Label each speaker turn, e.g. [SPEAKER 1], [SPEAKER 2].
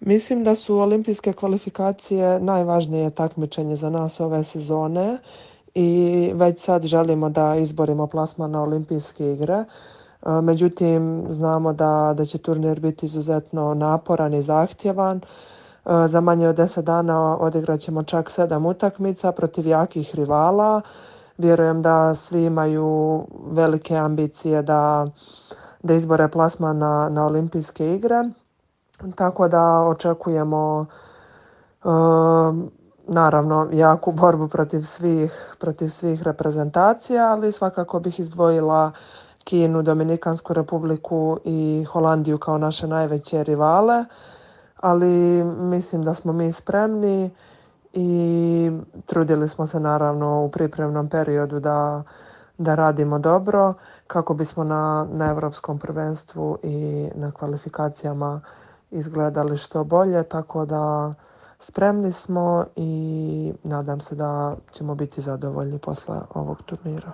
[SPEAKER 1] Mislim da su olimpijske kvalifikacije najvažnije takmičenje za nas ove sezone i već sad želimo da izborimo plasman na olimpijske igre. Međutim, znamo da će turnir biti izuzetno naporan i zahtjevan. Za manje od 10 dana odigrat ćemo čak 7 utakmica protiv jakih rivala. Vjerujem da svi imaju velike ambicije da izbore plasman na olimpijske igre. Tako da očekujemo naravno jaku borbu protiv svih reprezentacija, ali svakako bih izdvojila Kinu, Dominikansku republiku i Holandiju kao naše najveće rivale, ali mislim da smo mi spremni i trudili smo se naravno u pripremnom periodu da radimo dobro kako bismo na Europskom prvenstvu i na kvalifikacijama izgledali što bolje, tako da spremni smo i nadam se da ćemo biti zadovoljni posle ovog turnira.